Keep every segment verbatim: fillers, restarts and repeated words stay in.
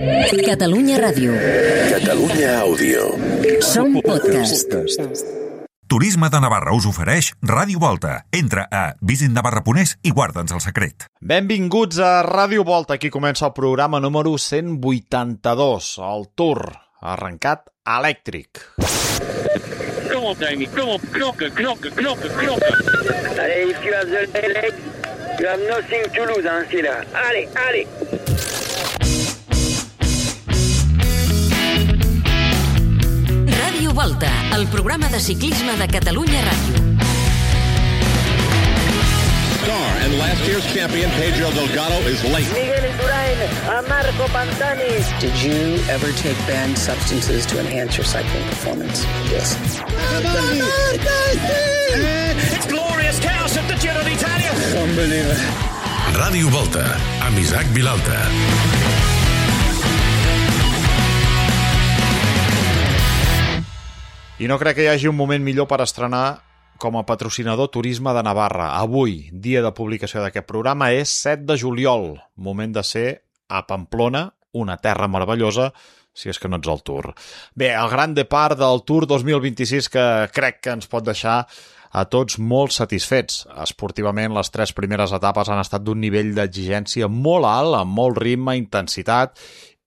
Catalunya Ràdio. Catalunya Àudio. Som podcast. Turisme de Navarra us ofereix Ràdio Volta. Entra a visit navarra punt es i guarda'ns el secret. Benvinguts a Ràdio Volta. Aquí comença el programa número cent vuitanta-dos. El Tour arrencat elèctric. Come on, Damien. Come on, knocker, knocker, knocker, knocker. Allez, if you have the leg, you have nothing to lose, hein, c'est là. Allez, allez. Ràdio Volta, el programa de ciclisme de Catalunya Ràdio. Star and last year's champion Pedro Delgado is late. Miguel Indurain, a Marco Pantani. Did you ever take banned substances to enhance your cycling performance? Yes. It's glorious chaos at the Giro d'Italia. Unbelievable. Ràdio Volta, amb Isaac Vilalta. I no crec que hi hagi un moment millor per estrenar com a patrocinador Turisme de Navarra. Avui, dia de publicació d'aquest programa, és set de juliol, moment de ser a Pamplona, una terra meravellosa, si és que no ets al Tour. Bé, el gran depart del Tour dos mil vint-i-sis que crec que ens pot deixar a tots molt satisfets. Esportivament, les tres primeres etapes han estat d'un nivell d'exigència molt alt, amb molt ritme, intensitat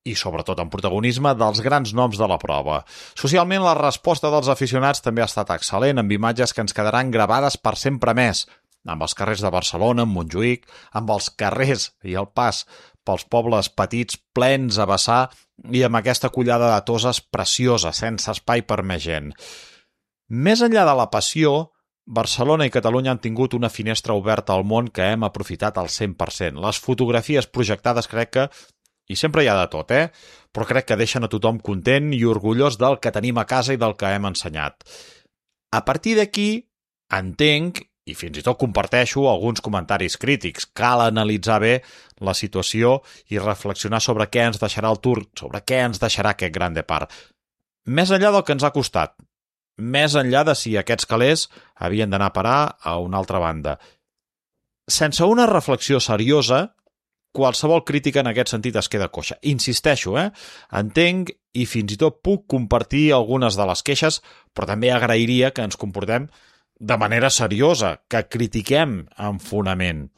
i sobretot en protagonisme dels grans noms de la prova. Socialment, la resposta dels aficionats també ha estat excel·lent, amb imatges que ens quedaran gravades per sempre més, amb els carrers de Barcelona, amb Montjuïc, amb els carrers i el pas pels pobles petits plens a vessar i amb aquesta collada de toses preciosa, sense espai per més gent. Més enllà de la passió, Barcelona i Catalunya han tingut una finestra oberta al món que hem aprofitat al cent per cent. Les fotografies projectades crec que i sempre hi ha de tot, eh? Però crec que deixen a tothom content i orgullós del que tenim a casa i del que hem ensenyat. A partir d'aquí, entenc, i fins i tot comparteixo, alguns comentaris crítics. Cal analitzar bé la situació i reflexionar sobre què ens deixarà el Tour, sobre què ens deixarà aquest gran depart. Més enllà del que ens ha costat, més enllà de si aquests calés havien d'anar a parar a una altra banda. Sense una reflexió seriosa, qualsevol crítica en aquest sentit es queda coixa. Insisteixo, eh? Entenc i fins i tot puc compartir algunes de les queixes, però també agrairia que ens comportem de manera seriosa, que critiquem amb fonament.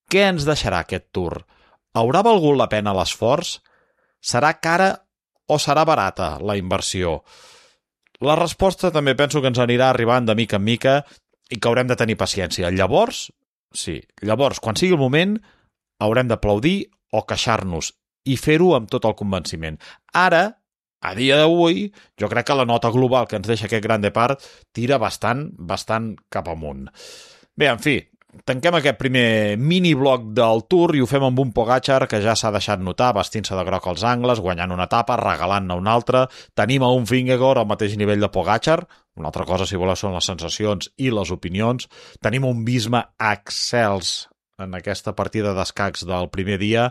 Què ens deixarà aquest Tour? Haurà valgut la pena l'esforç? Serà cara o serà barata la inversió? La resposta també penso que ens anirà arribant de mica en mica i que haurem de tenir paciència. Llavors, sí, llavors, quan sigui el moment, haurem d'aplaudir o queixar-nos i fer-ho amb tot el convenciment. Ara, a dia d'avui, jo crec que la nota global que ens deixa aquest gran depart tira bastant, bastant cap amunt. Bé, en fi, tanquem aquest primer mini-bloc del Tour i ho fem amb un Pogačar que ja s'ha deixat notar vestint-se de groc als angles, guanyant una etapa, regalant-ne una altra. Tenim a un Vingegaard al mateix nivell de Pogačar, una altra cosa, si voleu, són les sensacions i les opinions. Tenim un Visma excels en aquesta partida d'escacs del primer dia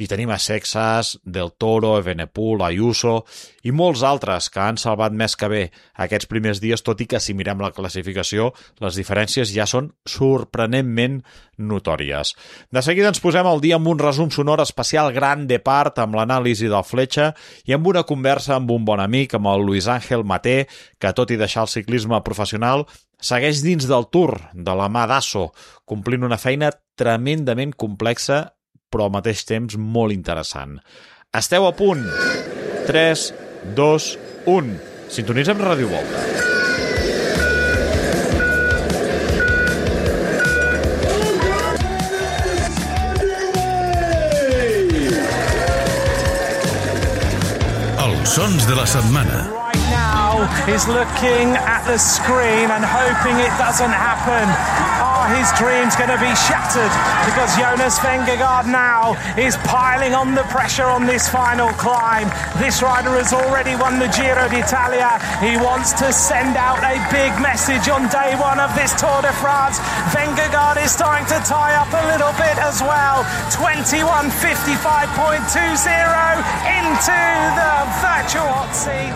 i tenim a Sexas, Del Toro, Evenepoel, Ayuso i molts altres que han salvat més que bé aquests primers dies, tot i que si mirem la classificació les diferències ja són sorprenentment notòries. De seguida ens posem al dia amb un resum sonor especial Gran Depart amb l'anàlisi del Fletxa i amb una conversa amb un bon amic, amb el Luis Ángel Maté, que tot i deixar el ciclisme professional segueix dins del Tour, de la mà d'Asso, complint una feina tremendament complexa, però al mateix temps molt interessant. Esteu a punt? tres, dos, un. Sintonitzem Ràdio Volta. Els sons de la setmana. Is looking at the screen and hoping it doesn't happen. Are his dreams going to be shattered? Because Jonas Vingegaard now is piling on the pressure on this final climb. This rider has already won the Giro d'Italia. He wants to send out a big message on day one of this Tour de France. Vingegaard is starting to tie up a little bit as well. twenty-one fifty-five point two zero into the virtual hot seat.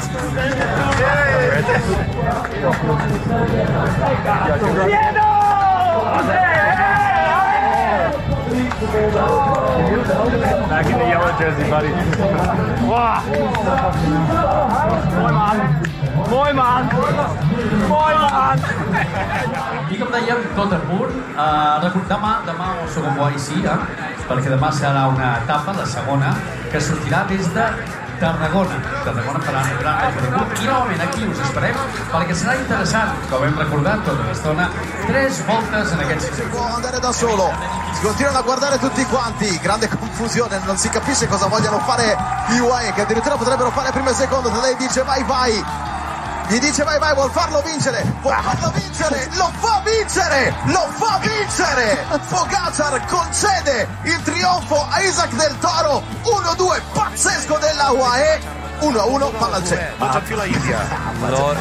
Back in the yellow jersey, buddy. Wow. Mooi man. Mooi man. Mooi man. I com dèiem, tot a punt. Uh, demà, demà el segon bo sí, eh? Perquè demà serà una etapa, la segona, que sortirà des de Tarragona. Tarragona farà un gran recorregut i novament aquí us esperem perquè serà interessant, com hem recordat tota l'estona, tres voltes en aquest circuit. Può andare da solo, si continuano a guardare tutti quanti, grande confusione, non si capisce cosa vogliano fare gli U A E, che addirittura potrebbero fare primo e secondo. Tadej dice vai vai, gli dice vai vai, vuol farlo vincere, vuol farlo vincere, lo fa vincere, lo fa vincere. Pogačar concede il trionfo a Isaac del Toro, uno due pazzesco della U A E, uno a uno, palla al centre. Tots en fila índia.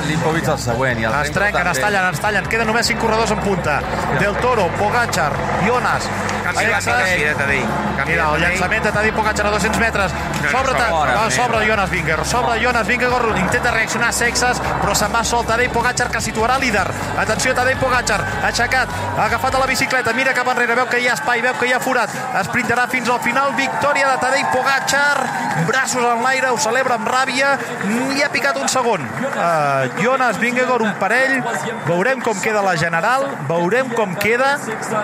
L'Ipovic el següent. I el es trenquen, es tallen, es tallen. Queden només cinc corredors en punta. Del Toro, Pogačar, Jonas, Alexas. Mira, el llançament de Tadej Pogačar a dos-cents metres. Sobre, no, sobre Jonas Vingegaard. Sobre Jonas Vingegaard. Intenta reaccionar Sexas, però se'n va sol Tadej Pogačar, que situarà líder. Atenció, Tadej Pogačar, aixecat, agafat a la bicicleta, mira cap enrere, veu que hi ha espai, veu que hi ha forat. Esprintarà fins al final. Victòria de Tadej Pogačar. Braços en l'aire, ho celebra amb ràbia. Li ha picat un segon. Uh, Jonas Vingegaard, un parell. Veurem com queda la general, veurem com queda,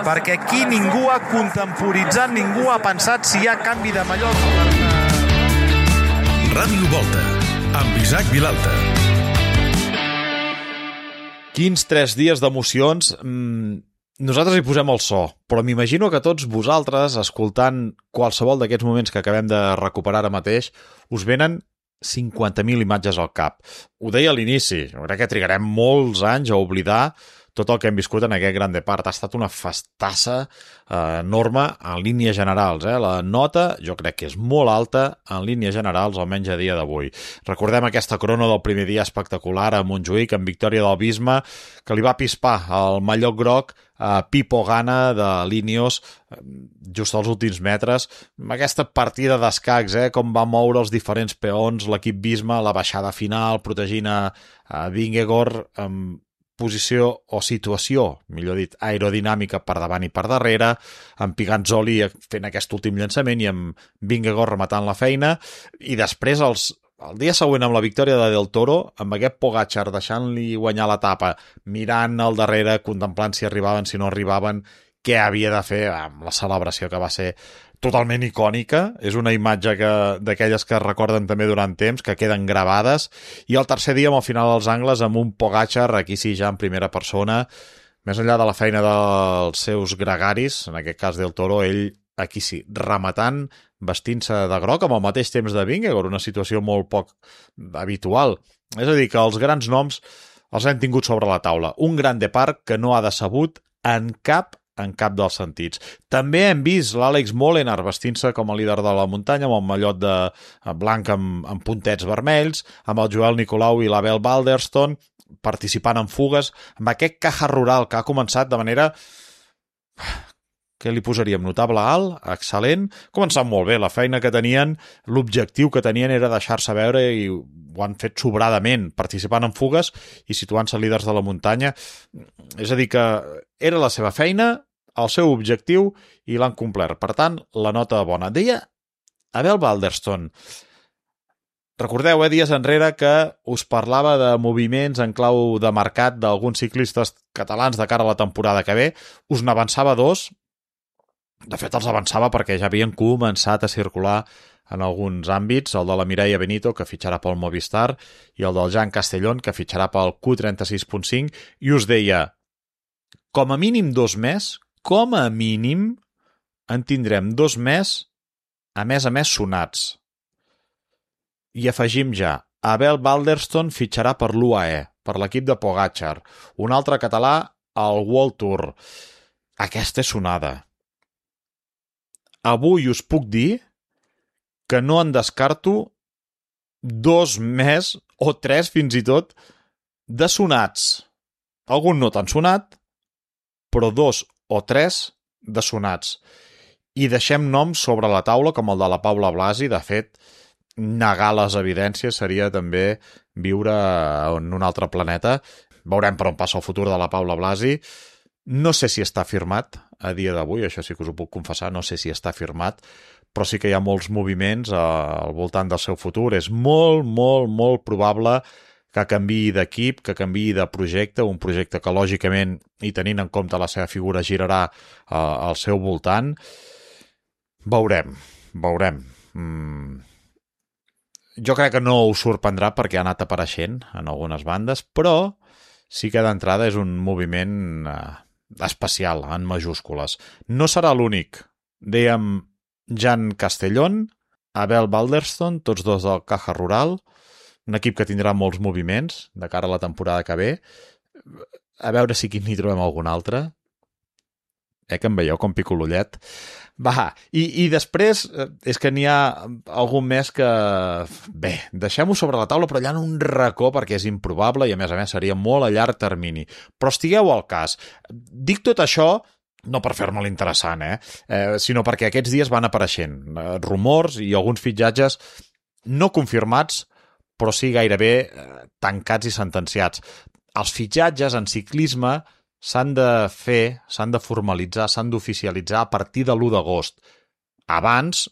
perquè aquí ningú ha contemporitzat, ningú ha pensat si hi ha canvi de mallot. Ràdio Volta, amb Isaac Vilalta. Quins tres dies d'emocions. Mm, nosaltres hi posem el so, però m'imagino que tots vosaltres, escoltant qualsevol d'aquests moments que acabem de recuperar ara mateix, us venen cinquanta mil imatges al cap. Ho deia a l'inici, crec que trigarem molts anys a oblidar tot el que hem viscut en aquest Gran Depart. Ha estat una festassa eh, enorme en línies generals. Eh? La nota jo crec que és molt alta en línies generals, almenys a dia d'avui. Recordem aquesta crono del primer dia espectacular a Montjuïc, amb victòria del Visma, que li va pispar el mallot groc a Pipo Gana de Linios just als últims metres. Aquesta partida d'escacs, eh? Com va moure els diferents peons l'equip Visma, la baixada final, protegint a, a Vingegaard amb posició o situació, millor dit, aerodinàmica per davant i per darrere, amb Piganzoli fent aquest últim llançament i amb Vingegaard rematant la feina, i després els, el dia següent amb la victòria de Del Toro, amb aquest Pogačar deixant-li guanyar l'etapa, mirant al darrere, contemplant si arribaven, si no arribaven, què havia de fer amb la celebració que va ser totalment icònica. És una imatge que d'aquelles que es recorden també durant temps, que queden gravades. I el tercer dia, amb el final dels angles, amb un Pogačar, aquí sí ja en primera persona, més enllà de la feina dels seus gregaris, en aquest cas Del Toro, ell aquí sí, rematant, vestint-se de groc amb el mateix temps de Vingegaard, una situació molt poc habitual. És a dir, que els grans noms els hem tingut sobre la taula. Un Gran Depart que no ha decebut en cap en cap dels sentits. També hem vist l'Àlex Molenaar vestint-se com a líder de la muntanya amb el mallot de blanc amb, amb puntets vermells, amb el Joel Nicolau i l'Abel Balderston participant en fugues, amb aquest caja rural que ha començat de manera... Què li posaríem? Notable alt, excel·lent, començant molt bé. La feina que tenien, l'objectiu que tenien era deixar-se veure i ho han fet sobradament, participant en fugues i situant-se líders de la muntanya. És a dir, que era la seva feina, el seu objectiu i l'han complert. Per tant, la nota bona. Deia Abel Balderston, recordeu, eh, dies enrere que us parlava de moviments en clau de mercat d'alguns ciclistes catalans de cara a la temporada que ve. Us n'avançava dos. De fet, els avançava perquè ja havien començat a circular en alguns àmbits, el de la Mireia Benito, que fitxarà pel Movistar, i el del Jan Castellón, que fitxarà pel Q trenta-sis punt cinc, i us deia, com a mínim dos més, com a mínim, en tindrem dos més, a més a més sonats. I afegim ja, Abel Balderston fitxarà per l'U A E, per l'equip de Pogačar, un altre català al World Tour. Aquesta és sonada. Avui us puc dir que no en descarto dos més, o tres fins i tot, de sonats. Algun no tan sonat, però dos o tres de sonats. I deixem noms sobre la taula com el de la Paula Blasi. De fet, negar les evidències seria també viure en un altre planeta. Veurem per on passa el futur de la Paula Blasi. No sé si està firmat a dia d'avui, això sí que us ho puc confessar, no sé si està firmat, però sí que hi ha molts moviments al voltant del seu futur. És molt, molt, molt probable que canviï d'equip, que canviï de projecte, un projecte que lògicament, i tenint en compte la seva figura, girarà eh, al seu voltant. Veurem, veurem. Mm. Jo crec que no us sorprendrà perquè ha anat apareixent en algunes bandes, però sí que d'entrada és un moviment eh, especial, en majúscules. No serà l'únic. Dèiem Jan Castellón, Abel Balderston, tots dos del Caja Rural, un equip que tindrà molts moviments de cara a la temporada que ve. A veure si aquí n'hi trobem algun altre. Eh, que em veieu com pico l'ullet. Va, i, i després és que n'hi ha algun més que... Bé, deixem-ho sobre la taula, però allà en un racó, perquè és improbable i a més a més seria molt a llarg termini. Però estigueu al cas. Dic tot això no per fer-me l'interessant, eh? eh? sinó perquè aquests dies van apareixent eh, rumors i alguns fitxatges no confirmats, però sí gairebé eh, tancats i sentenciats. Els fitxatges en ciclisme s'han de fer, s'han de formalitzar, s'han d'oficialitzar a partir de l'u d'agost. Abans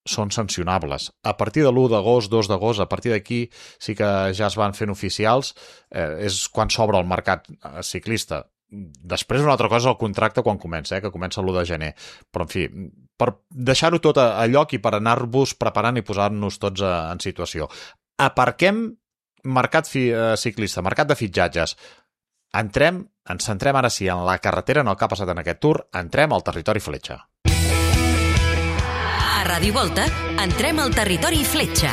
són sancionables. A partir de l'u d'agost, dos d'agost, a partir d'aquí sí que ja es van fent oficials, eh, és quan s'obre el mercat ciclista. Després una altra cosa és el contracte quan comença, eh, que comença l'u de gener. Però, en fi, per deixar-ho tot a, a lloc i per anar-vos preparant i posar-nos tots a, en situació. Aparquem mercat fi, eh, ciclista, mercat de fitxatges. Entrem, ens centrem ara sí en la carretera, en el que ha passat en aquest tour, entrem al territori Fletxa. A Ràdio Volta, entrem al territori Fletxa.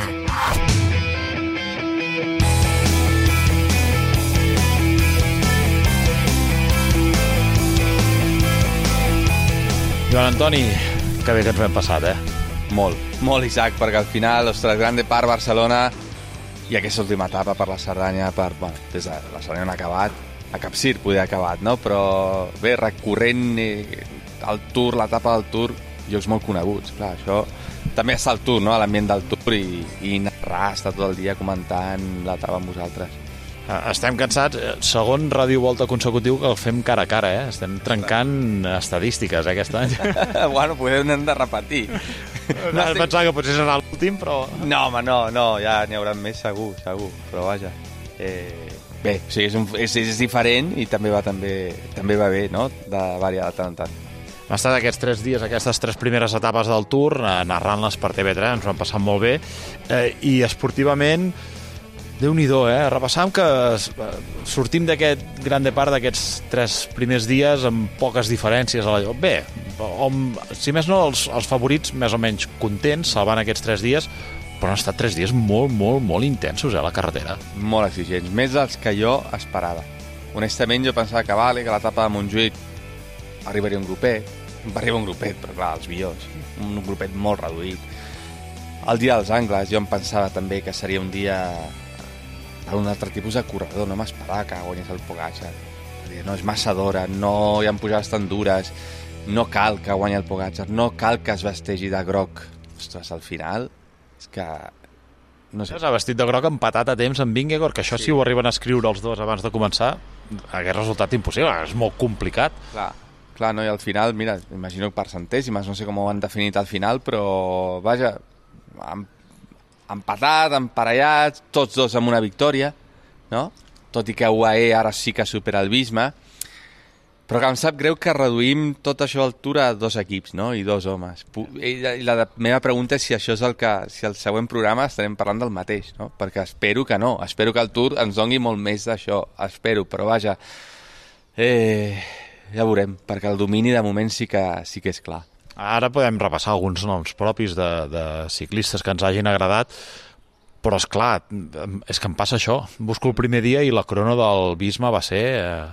Joan Antoni, que bé que ens hem passat, eh? Molt, molt, Isaac, perquè al final, ostres, Grande Parc, Barcelona, i aquesta última etapa per la Cerdanya, per, bueno, des de la Cerdanya on ha acabat, a Capcir podia haver acabat, no? Però bé, recorrent eh, el Tour, l'etapa del Tour, llocs molt coneguts, clar, això també està al Tour, no? A l'ambient del Tour i, i narrar, estar tot el dia comentant l'etapa amb vosaltres. Estem cansats, segon Ràdio Volta consecutiu que el fem cara a cara, eh? Estem trencant estadístiques, eh, aquest any. Bueno, podem hem de repetir. No, no pensava que potser serà l'últim, però... No, home, no, no, ja n'hi haurà més segur, segur, però vaja. Eh, bé, o sigui, és, un, és, és diferent i també va, també, també va bé, no?, de variar de tant en tant. Hem estat aquests tres dies, aquestes tres primeres etapes del Tour, narrant-les per T V tres, ens ho hem passat molt bé, eh, i esportivament... Déu-n'hi-do, eh? Repassam que sortim d'aquest Grande Parc d'aquests tres primers dies amb poques diferències a la lloc. Bé, om, si més no, els, els favorits més o menys contents, salvant aquests tres dies, però han estat tres dies molt, molt, molt intensos, eh, a la carretera. Molt exigents, més dels que jo esperava. Honestament, jo pensava que vale, que a l'etapa de Montjuïc arribaria un grupet, va arribar un grupet, però clar, els millors, un grupet molt reduït. El dia dels angles, jo em pensava també que seria un dia... per un altre tipus de corredor, no m'esperava que guanyés el Pogačar. No és massa d'hora, no hi ha pujades tan dures, no cal que guanyi el Pogačar, no cal que es vestegi de groc. Ostres, al final, és que... No sé. S'ha vestit de groc empatat a temps amb Vingegaard, que això sí. Si ho arriben a escriure els dos abans de començar, hagués resultat impossible, és molt complicat. Clar, clar, no, i al final, mira, imagino per centèsimes, no sé com ho han definit al final, però, vaja, amb empatat, emparellat, tots dos amb una victòria, no? Tot i que U A E ara sí que supera el Visma, però que em sap greu que reduïm tot això al Tour a dos equips, no? I dos homes. I la meva pregunta és si això és el que, si el següent programa estarem parlant del mateix, no? Perquè espero que no, espero que el Tour ens doni molt més d'això, espero, però vaja, eh, ja veurem, perquè el domini de moment sí que, sí que és clar. Ara podem repassar alguns noms propis de, de ciclistes que ens hagin agradat, però és clar, és que em passa això. Busco el primer dia i la crono del Visma va ser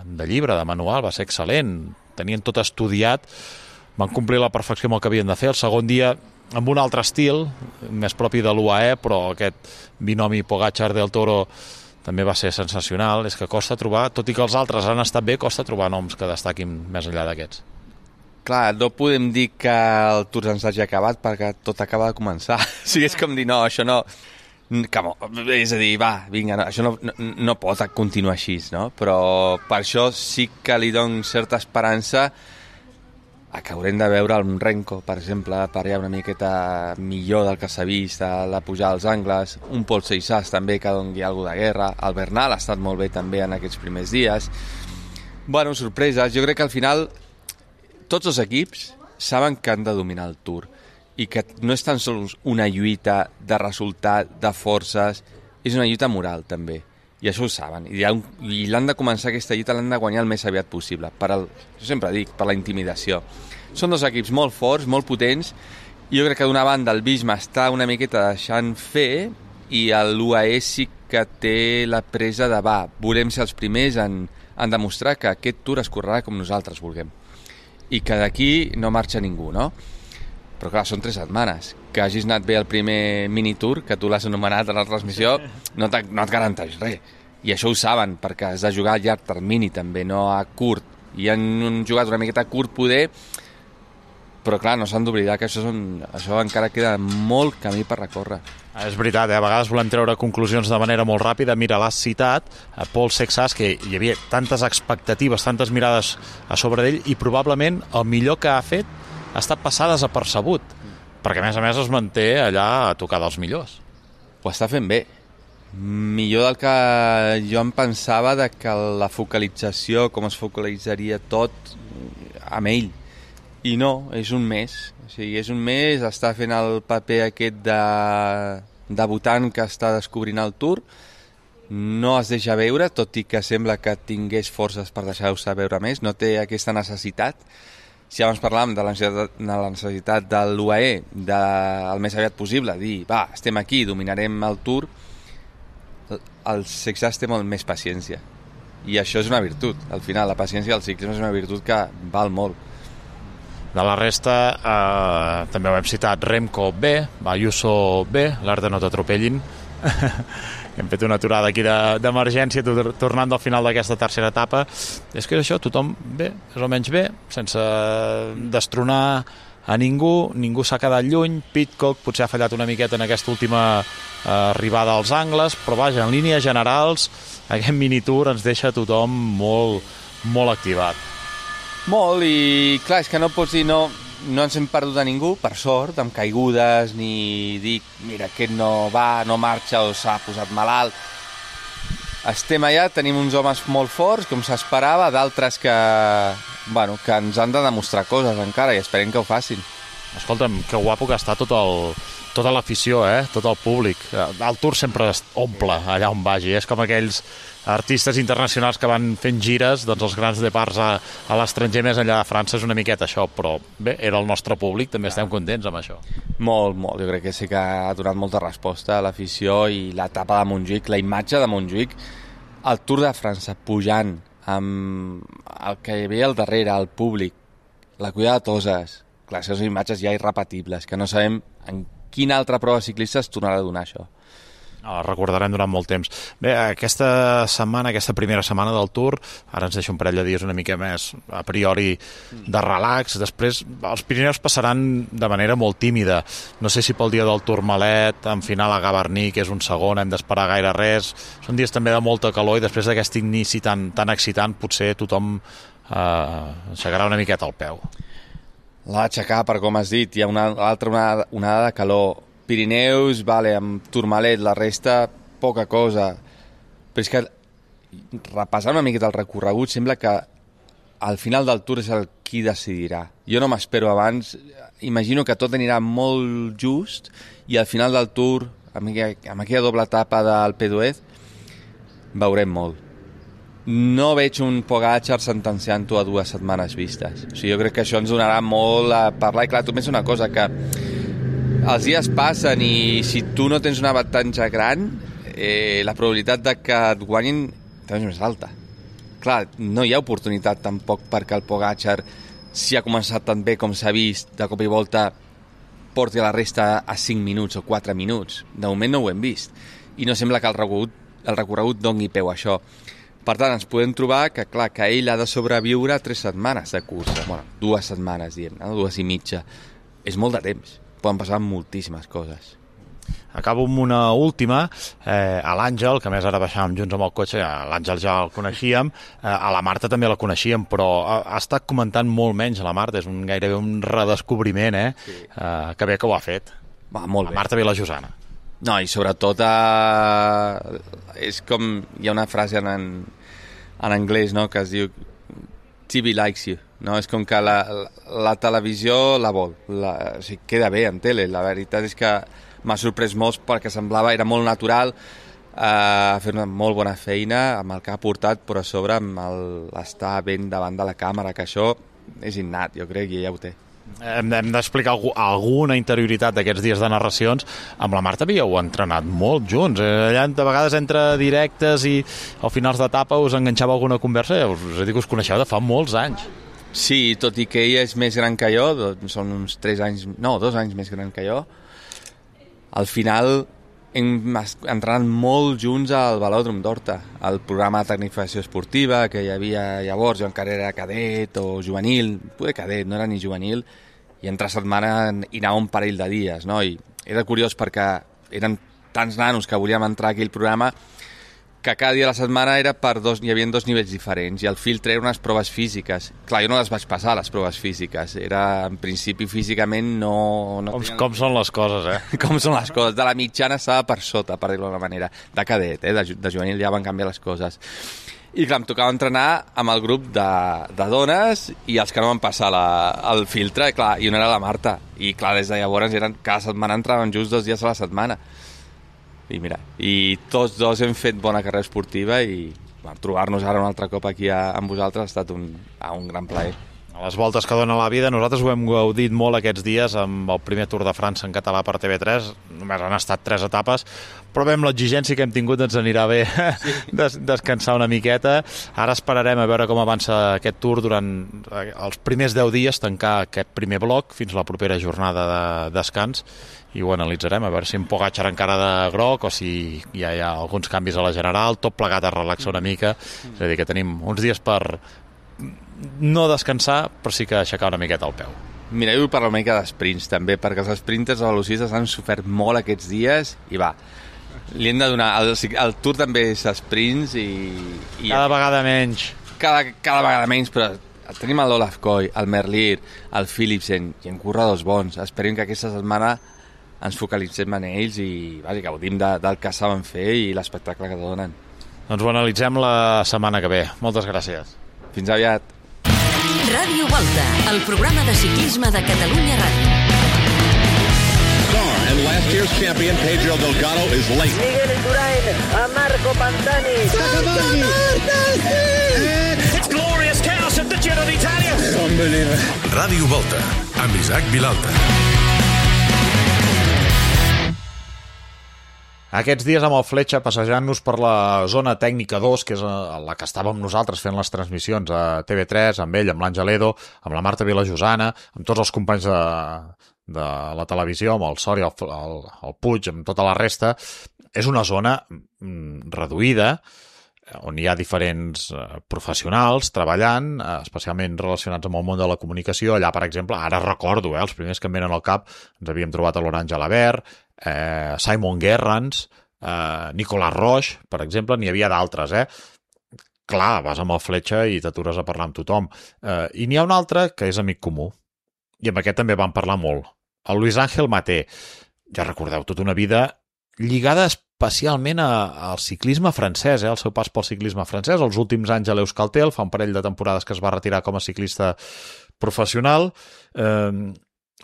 de llibre, de manual, va ser excel·lent. Tenien tot estudiat, van complir la perfecció amb el que havien de fer. El segon dia, amb un altre estil, més propi de l'U A E, però aquest binomi Pogačar del Toro també va ser sensacional. És que costa trobar, tot i que els altres han estat bé, costa trobar noms que destaquin més enllà d'aquests. Clar, no podem dir que el Tour ens hagi acabat perquè tot acaba de començar. O sigui, és com dir, no, això no, Com, és a dir, va, vinga, no, això no, no, no pot continuar així, no? Però per això sí que li dono certa esperança a que haurem de veure el Renko, per exemple, per allà una miqueta millor del que s'ha vist, a la pujada als angles, un Pol Seixas també que doni alguna de guerra, el Bernal ha estat molt bé també en aquests primers dies. Bueno, sorpreses, jo crec que al final tots els equips saben que han de dominar el Tour i que no és tan sols una lluita de resultat, de forces, és una lluita moral també, i això ho saben, i, un, i l'han de començar aquesta lluita, l'han de guanyar el més aviat possible, per el, jo sempre dic, per la intimidació. Són dos equips molt forts, molt potents, i jo crec que d'una banda el Visma està una miqueta deixant fer, i l'U A E sí que té la presa de va, volem ser els primers en, en demostrar que aquest Tour es correrà com nosaltres vulguem, i que d'aquí no marxa ningú, no? Però clar, són tres setmanes. Que hagis anat bé el primer mini-tour, que tu l'has anomenat a la transmissió, no, no et garanteix res. I això ho saben, perquè has de jugar a llarg termini també, no a curt. I han jugat una miqueta a curt poder, però clar, no s'han d'oblidar que això, són, això encara queda molt camí per recórrer. És veritat, eh? A vegades volem treure conclusions de manera molt ràpida. Mira, l'has citat, a Pol Seixas, que hi havia tantes expectatives, tantes mirades a sobre d'ell, i probablement el millor que ha fet ha estat passar desapercebut, perquè a més a més es manté allà a tocar dels millors. Ho està fent bé. Millor del que jo em pensava de que la focalització, com es focalitzaria tot amb ell. I no, és un mes. O sigui, és un mes, està fent el paper aquest de debutant que està descobrint el Tour, no es deixa veure, tot i que sembla que tingués forces per deixar-se veure més, no té aquesta necessitat. Si abans parlàvem de la necessitat de, la necessitat de l'U A E del més aviat possible, dir, va, estem aquí, dominarem el Tour, el Seixas té molt més paciència. I això és una virtut. Al final, la paciència del ciclisme és una virtut que val molt. De la resta, eh, també ho hem citat, Remco B, Ayuso B, l'art de no t'atropellin. Hem fet una aturada aquí d'emergència de, tornant del final d'aquesta tercera etapa. És que és això, tothom bé, és almenys bé, sense destronar a ningú, ningú s'ha quedat lluny. Pidcock potser ha fallat una miqueta en aquesta última eh, arribada als angles, però vaja, en línies generals aquest minitour ens deixa tothom molt, molt activat. Molt, i clar, és que no pots dir no, no ens hem perdut a ningú, per sort, amb caigudes, ni dir, mira, aquest no va, no marxa o s'ha posat malalt. Estem allà, tenim uns homes molt forts, com s'esperava, d'altres que, bueno, que ens han de demostrar coses encara, i esperem que ho facin. Escolta'm, que guapo que està tot el, tota l'afició, eh? Tot el públic. El Tour sempre omple allà on vagi, és com aquells artistes internacionals que van fent gires, doncs els grans departs a, a l'estranger més enllà de França és una miqueta això, però bé, era el nostre públic, també estem contents amb això. Molt, molt, jo crec que sí que ha donat molta resposta a l'afició, i l'etapa de Montjuïc, la imatge de Montjuïc, el Tour de França pujant amb el que hi havia al darrere, el públic, la cuida de Toses, clar, són imatges ja irrepetibles, que no sabem en quina altra prova ciclista es tornarà a donar això. No, recordarem durant molt temps. Bé, aquesta setmana, aquesta primera setmana del Tour, ara ens deixa un parell de dies una mica més a priori de relax, després els Pirineus passaran de manera molt tímida. No sé si pel dia del Tourmalet, en final a Gavarní, que és un segon, hem d'esperar gaire res. Són dies també de molta calor i després d'aquest inici tan, tan excitant potser tothom eh, aixecarà una miqueta el peu. L'ha d'aixecar, per com has dit, hi ha una altra onada, onada de calor. Pirineus, vale, amb Tourmalet, la resta, poca cosa. Però és que, repassant una miqueta el recorregut, sembla que al final del Tour és el qui decidirà. Jo no m'espero abans, imagino que tot anirà molt just, i al final del Tour, amb aquella, amb aquella doble etapa del Péduez, veurem molt. No veig un Pogačar sentenciant-ho a dues setmanes vistes. O sigui, jo crec que això ens donarà molt a parlar, i clar, tu pensa una cosa, que els dies passen i si tu no tens un avantatge gran, eh, la probabilitat de que et guanyin també és més alta. Clar, no hi ha oportunitat tampoc perquè el Pogačar, si ha començat tan bé com s'ha vist, de cop i volta porti a la resta a cinc minuts o quatre minuts. De moment no ho hem vist. I no sembla que el recorregut, el recorregut doni peu a això. Per tant, ens podem trobar que, clar, que ell ha de sobreviure tres setmanes de cursa. Bueno, dues setmanes, diem, no? Dues i mitja. És molt de temps. Poden passar moltíssimes coses. Acabo amb una última, eh, a l'Àngel, que a més ara baixàvem junts amb el cotxe, l'Àngel ja el coneixíem, eh, a la Marta també la coneixíem, però ha, ha estat comentant molt menys a la Marta, és un, gairebé un redescobriment, eh? Sí. Eh, que bé que ho ha fet. Va, molt bé. La Marta Vilajosana. No, i sobretot eh, és com, hi ha una frase en, en anglès, no?, que es diu T V likes you, no? És com que la, la, la televisió la vol, la, o sigui, queda bé en tele, la veritat és que m'ha sorprès molt perquè semblava, era molt natural, eh, fer una molt bona feina amb el que ha portat, però a sobre amb l'estar ben davant de la càmera, que això és innat, jo crec que ja ho té. Hem, hem d'explicar algú, alguna interioritat d'aquests dies de narracions. Amb la Marta havíeu entrenat molt junts, eh? Allà de vegades entre directes i al finals d'etapa us enganxava alguna conversa, us, us he dit que us coneixeu de fa molts anys. Sí, tot i que ella és més gran que jo, són uns tres anys, no, dos anys més gran que jo, al final hem entrenat molt junts al Velòdrom d'Horta, al programa de tecnificació esportiva que hi havia llavors, jo encara era cadet o juvenil, poder cadet, no era ni juvenil, i entre setmana hi anava un parell de dies, no? I era curiós perquè eren tants nanos que volíem entrar a aquell programa que cada dia de la setmana era per dos, hi havia dos nivells diferents, i el filtre eren unes proves físiques. Clar, jo no les vaig passar, les proves físiques. Era, en principi, físicament no... no com, com són les coses, eh? Com són les coses. De la mitjana estava per sota, per dir-ho d'una manera. De cadet, eh? De, de juvenil ja van canviar les coses. I clar, em tocava entrenar amb el grup de, de dones i els que no van passar la, el filtre, clar, i una era la Marta. I clar, des de llavors eren, cada setmana entraven just dos dies a la setmana. I mira, i tots dos hem fet bona carrera esportiva i bueno, trobar-nos ara un altre cop aquí a, amb vosaltres ha estat un, un gran plaer. A les voltes que dona la vida, nosaltres ho hem gaudit molt aquests dies amb el primer Tour de França en català per T V tres, només han estat tres etapes, però bé, amb l'exigència que hem tingut ens anirà bé sí. des descansar una miqueta. Ara esperarem a veure com avança aquest Tour durant els primers deu dies, tancar aquest primer bloc fins a la propera jornada de descans, i ho analitzarem, a veure si en Pogačar encara de groc o si ja hi ha alguns canvis a la general, tot plegat a relaxar una mica, és a dir, que tenim uns dies per no descansar, però sí que aixecar una miqueta el peu. Mira, jo vull parlar una mica d'esprints també, perquè els sprinters o velocistes han sofert molt aquests dies i va, li hem de donar el, el Tour també és sprints i, i cada vegada menys cada, cada vegada menys, però tenim l'Olaf Koy, el Merlier, el Philipsen i en corredors bons. Esperem que aquesta setmana ens focalitzem en ells i vaja, gaudim de, del que saben fer i l'espectacle que donen. Doncs ho analitzem la setmana que ve. Moltes gràcies. Fins aviat. Ràdio Volta, el programa de ciclisme de Catalunya Ràdio. And last year's champion Pedro Delgado is late. Miguel Indurain a Marco Pantani. It's glorious chaos at the Giro d'Italia. Unbelievable. Ràdio Volta, amb Isaac Vilalta. Aquests dies amb el Fletxa passejant-nos per la zona tècnica dos, que és la que estàvem nosaltres fent les transmissions a T V tres, amb ell, amb l'Àngel Edo, amb la Marta Vilajosana, amb tots els companys de, de la televisió, amb el Sori, el, el, el Puig, amb tota la resta. És una zona reduïda, on hi ha diferents professionals treballant, especialment relacionats amb el món de la comunicació. Allà, per exemple, ara recordo, eh, els primers que em venen al cap, ens havíem trobat a l'Orange Alabert, eh, Simon Gerrans, eh, Nicolas Roche, per exemple, n'hi havia d'altres, eh? Clar, vas amb el Fletxa i t'atures a parlar amb tothom. Eh, I n'hi ha un altre que és amic comú, i amb aquest també vam parlar molt. El Luis Ángel Maté, ja recordeu, tota una vida lligada especialment a, al ciclisme francès, eh? El seu pas pel ciclisme francès, els últims anys a l'Euskaltel, fa un parell de temporades que es va retirar com a ciclista professional, eh,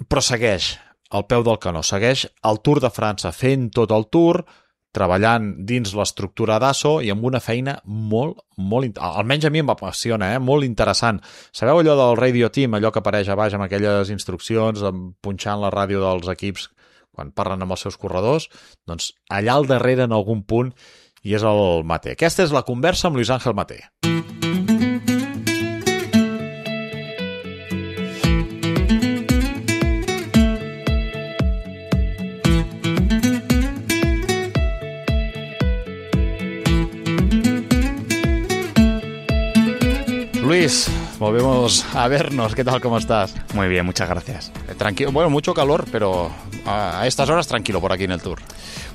però segueix al peu del canó, segueix el Tour de França, fent tot el Tour, treballant dins l'estructura d'Asso i amb una feina molt, molt, almenys a mi em apassiona, eh? Molt interessant. Sabeu allò del Radio Team, allò que apareix a baix amb aquelles instruccions, punxant la ràdio dels equips quan parlen amb els seus corredors? Doncs allà al darrere, en algun punt, hi és el Maté. Aquesta és la conversa amb Luis Ángel Maté. Luis, volvemos a vernos. ¿Qué tal? ¿Cómo estás? Muy bien, muchas gracias. Tranquilo, bueno, mucho calor, pero a estas horas tranquilo por aquí en el Tour.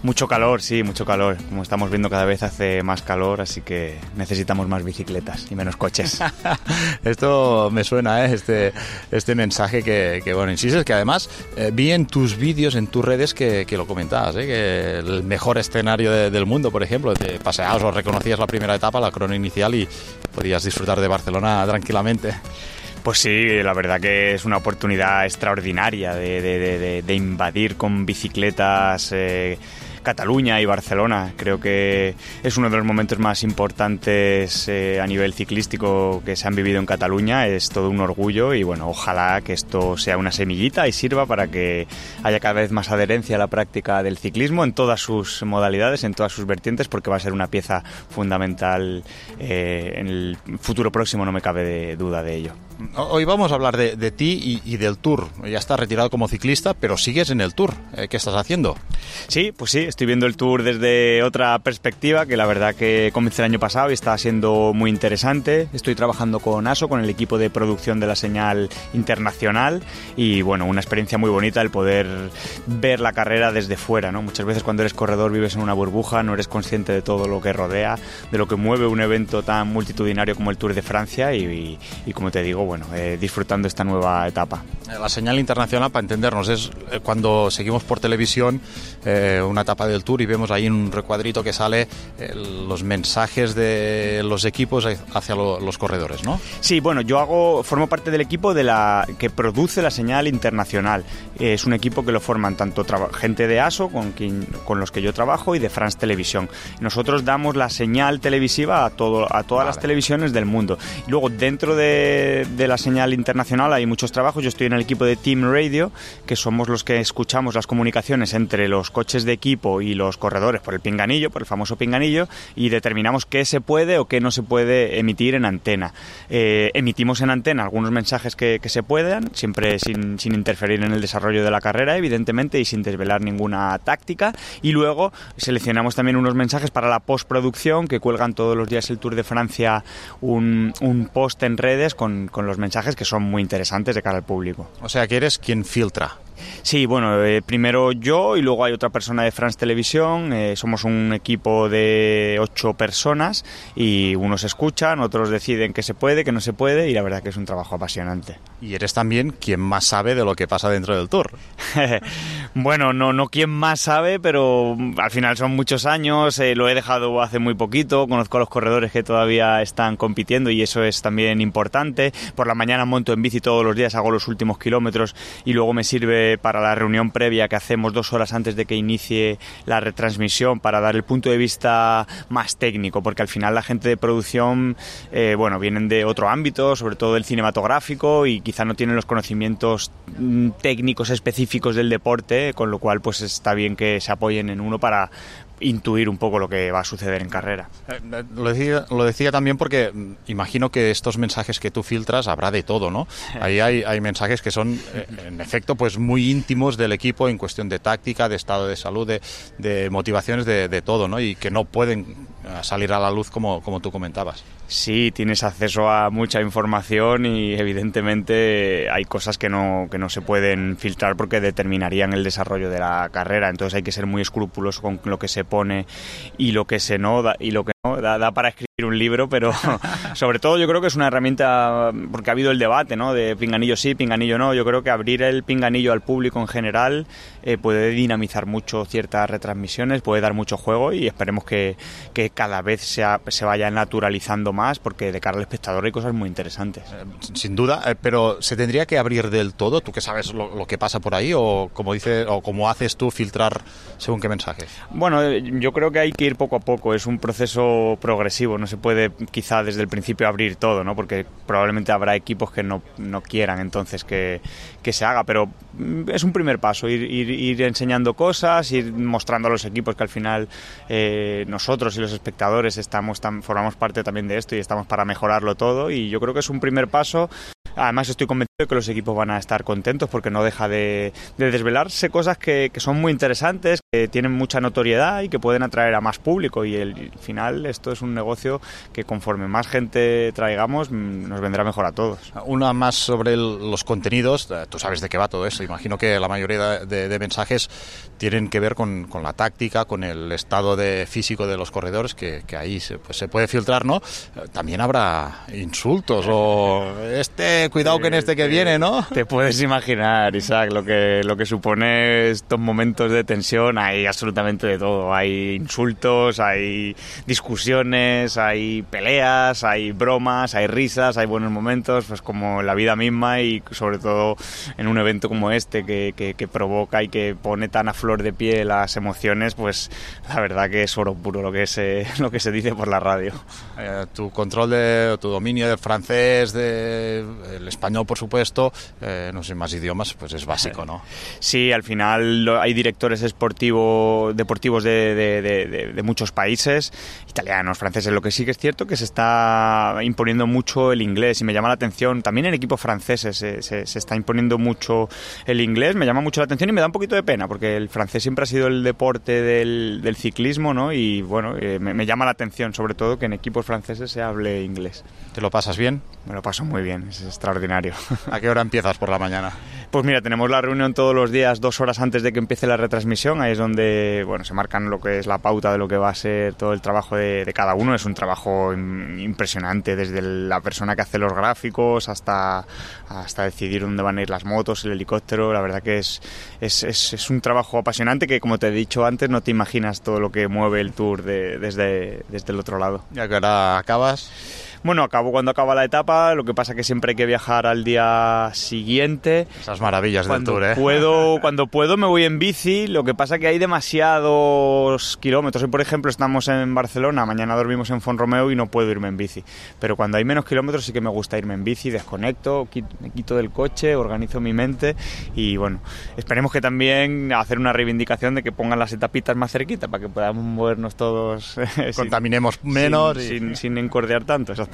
Mucho calor, sí, mucho calor. Como estamos viendo, cada vez hace más calor, así que necesitamos más bicicletas y menos coches. Esto me suena, ¿eh? este, este mensaje que, que, bueno, insistes, que además eh, vi en tus vídeos, en tus redes, que, que lo comentabas, ¿eh? Que el mejor escenario de, del mundo, por ejemplo, te paseabas o reconocías la primera etapa, la crono inicial, y podías disfrutar de Barcelona tranquilamente. Pues sí, la verdad que es una oportunidad extraordinaria de, de, de, de invadir con bicicletas eh, Cataluña y Barcelona. Creo que es uno de los momentos más importantes eh, a nivel ciclístico que se han vivido en Cataluña. Es todo un orgullo y bueno, ojalá que esto sea una semillita y sirva para que haya cada vez más adherencia a la práctica del ciclismo en todas sus modalidades, en todas sus vertientes, porque va a ser una pieza fundamental eh, en el futuro próximo, no me cabe de duda de ello. Hoy vamos a hablar de, de ti y, y del Tour. Ya estás retirado como ciclista, pero sigues en el Tour. ¿Qué estás haciendo? Sí, pues sí, estoy viendo el Tour desde otra perspectiva, que la verdad que comencé el año pasado y está siendo muy interesante. Estoy trabajando con ASO, con el equipo de producción de la señal internacional, y bueno, una experiencia muy bonita el poder ver la carrera desde fuera, ¿no? Muchas veces cuando eres corredor vives en una burbuja, no eres consciente de todo lo que rodea, de lo que mueve un evento tan multitudinario como el Tour de Francia y, y, y como te digo, bueno, eh, disfrutando esta nueva etapa. La señal internacional, para entendernos, es cuando seguimos por televisión eh, una etapa del Tour y vemos ahí en un recuadrito que sale eh, los mensajes de los equipos hacia lo, los corredores, ¿no? Sí, bueno, yo hago formo parte del equipo de la que produce la señal internacional. Eh, es un equipo que lo forman tanto gente de ASO, con, quien, con los que yo trabajo, y de France Televisión. Nosotros damos la señal televisiva a, todo, a todas vale. las televisiones del mundo. Y luego, dentro de, de la señal internacional hay muchos trabajos. Yo estoy en el equipo de Team Radio, que somos los que escuchamos las comunicaciones entre los coches de equipo y los corredores por el pinganillo, por el famoso pinganillo, y determinamos qué se puede o qué no se puede emitir en antena. Eh, emitimos en antena algunos mensajes que, que se puedan, siempre sin, sin interferir en el desarrollo de la carrera, evidentemente, y sin desvelar ninguna táctica, y luego seleccionamos también unos mensajes para la postproducción, que cuelgan todos los días el Tour de Francia un, un post en redes con, con los mensajes que son muy interesantes de cara al público. O sea que eres quien filtra. Sí, bueno, eh, primero yo y luego hay otra persona de France Televisión. Eh, somos un equipo de ocho personas y unos escuchan, otros deciden qué se puede, qué no se puede, y la verdad que es un trabajo apasionante. Y eres también quien más sabe de lo que pasa dentro del Tour. Bueno, no, no quien más sabe, pero al final son muchos años, eh, lo he dejado hace muy poquito, conozco a los corredores que todavía están compitiendo y eso es también importante. Por la mañana monto en bici todos los días, hago los últimos kilómetros y luego me sirve para la reunión previa que hacemos dos horas antes de que inicie la retransmisión para dar el punto de vista más técnico, porque al final la gente de producción eh, bueno, vienen de otro ámbito, sobre todo del cinematográfico, y quizá no tienen los conocimientos técnicos específicos del deporte, con lo cual pues está bien que se apoyen en uno para intuir un poco lo que va a suceder en carrera. Eh, lo, decía, lo decía también porque imagino que estos mensajes que tú filtras habrá de todo, ¿no? Ahí hay, hay mensajes que son, eh, en efecto, pues muy íntimos del equipo en cuestión de táctica, de estado de salud, de, de motivaciones, de, de todo, ¿no? Y que no pueden salir a la luz como, como tú comentabas. Sí, tienes acceso a mucha información y evidentemente hay cosas que no, que no se pueden filtrar porque determinarían el desarrollo de la carrera, entonces hay que ser muy escrupuloso con lo que se pone y lo que se no da, y lo que no da, da para escribir un libro, pero sobre todo yo creo que es una herramienta, porque ha habido el debate, ¿no?, de pinganillo sí, pinganillo no. Yo creo que abrir el pinganillo al público en general eh, puede dinamizar mucho ciertas retransmisiones, puede dar mucho juego y esperemos que, que cada vez sea, se vaya naturalizando más, porque de cara al espectador hay cosas muy interesantes. Eh, sin duda, eh, pero ¿se tendría que abrir del todo? ¿Tú que sabes lo, lo que pasa por ahí o como dice, o como haces tú, filtrar según qué mensajes? Bueno, yo creo que hay que ir poco a poco, es un proceso progresivo, no se puede quizá desde el principio abrir todo, ¿no?, porque probablemente habrá equipos que no, no quieran entonces que, que se haga, pero es un primer paso, ir, ir, ir enseñando cosas, ir mostrando a los equipos que al final eh, nosotros y los espectadores estamos tan, formamos parte también de esto y estamos para mejorarlo todo, y yo creo que es un primer paso Además estoy convencido de que los equipos van a estar contentos porque no deja de, de desvelarse cosas que, que son muy interesantes, que tienen mucha notoriedad y que pueden atraer a más público, y el, al final esto es un negocio que conforme más gente traigamos nos vendrá mejor a todos. Una más sobre el, los contenidos, tú sabes de qué va todo eso, imagino que la mayoría de, de, de mensajes tienen que ver con, con la táctica, con el estado de físico de los corredores, que, que ahí se, pues, se puede filtrar, ¿no? También habrá insultos o este... Cuidado que en este que viene, ¿no? Te puedes imaginar, Isaac, lo que, lo que supone estos momentos de tensión. Hay absolutamente de todo. Hay insultos, hay discusiones, hay peleas, hay bromas, hay risas, hay buenos momentos, pues como la vida misma, y sobre todo en un evento como este que, que, que provoca y que pone tan a flor de piel las emociones, pues la verdad que es oro puro lo que se, lo que se dice por la radio. Eh, tu control, de tu dominio del francés, de... el español, por supuesto, eh, no sé, más idiomas, pues es básico, ¿no? Sí, al final hay directores esportivos, deportivos de, de, de, de muchos países, italianos, franceses. Lo que sí que es cierto que se está imponiendo mucho el inglés, y me llama la atención, también en equipos franceses se, se, se está imponiendo mucho el inglés, me llama mucho la atención y me da un poquito de pena, porque el francés siempre ha sido el deporte del, del ciclismo, ¿no? Y bueno, eh, me, me llama la atención, sobre todo, que en equipos franceses se hable inglés. ¿Te lo pasas bien? Me lo paso muy bien, es extraordinario. ¿A qué hora empiezas por la mañana? Pues mira, tenemos la reunión todos los días, dos horas antes de que empiece la retransmisión. Ahí es donde, bueno, se marcan lo que es la pauta de lo que va a ser todo el trabajo de, de cada uno. Es un trabajo impresionante, desde la persona que hace los gráficos hasta, hasta decidir dónde van a ir las motos, el helicóptero. La verdad que es, es, es, es un trabajo apasionante que, como te he dicho antes, no te imaginas todo lo que mueve el Tour de, desde, desde el otro lado. ¿Y a qué hora acabas? Bueno, acabo cuando acaba la etapa, lo que pasa que siempre hay que viajar al día siguiente. Esas maravillas cuando del Tour, ¿eh? Puedo, cuando puedo me voy en bici, lo que pasa que hay demasiados kilómetros. Hoy, por ejemplo, estamos en Barcelona, mañana dormimos en Font-Romeu y no puedo irme en bici. Pero cuando hay menos kilómetros sí que me gusta irme en bici, desconecto, me quito del coche, organizo mi mente y bueno, esperemos que también hacer una reivindicación de que pongan las etapitas más cerquita para que podamos movernos todos. Contaminemos sin, menos. Sin, y... sin, sin encordear tanto, exactamente.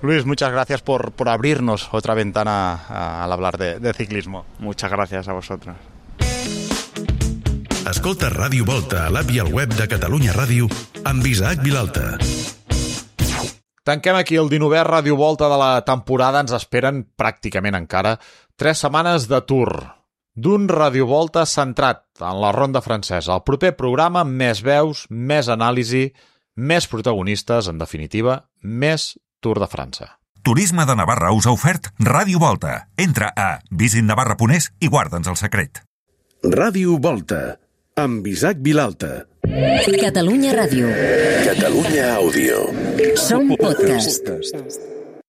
Luis, muchas gracias por, por abrirnos otra ventana a, al hablar de, de ciclismo. Muchas gracias a vosotros. Escolta Ràdio Volta a l'app i al web de Catalunya Ràdio amb Isaac Vilalta. Tanquem aquí el dinovè Ràdio Volta de la temporada. Ens esperen pràcticament encara tres setmanes de Tour, d'un Ràdio Volta centrat en la ronda francesa. El proper programa, més veus, més anàlisi, més protagonistes, en definitiva, més Tour de França. Turisme de Navarra us ha ofert Ràdio Volta. Entra a visit navarra punt es i guarda'ns el secret. Ràdio Volta, amb Isaac Vilalta. Catalunya Ràdio. Catalunya Àudio. Som podcast.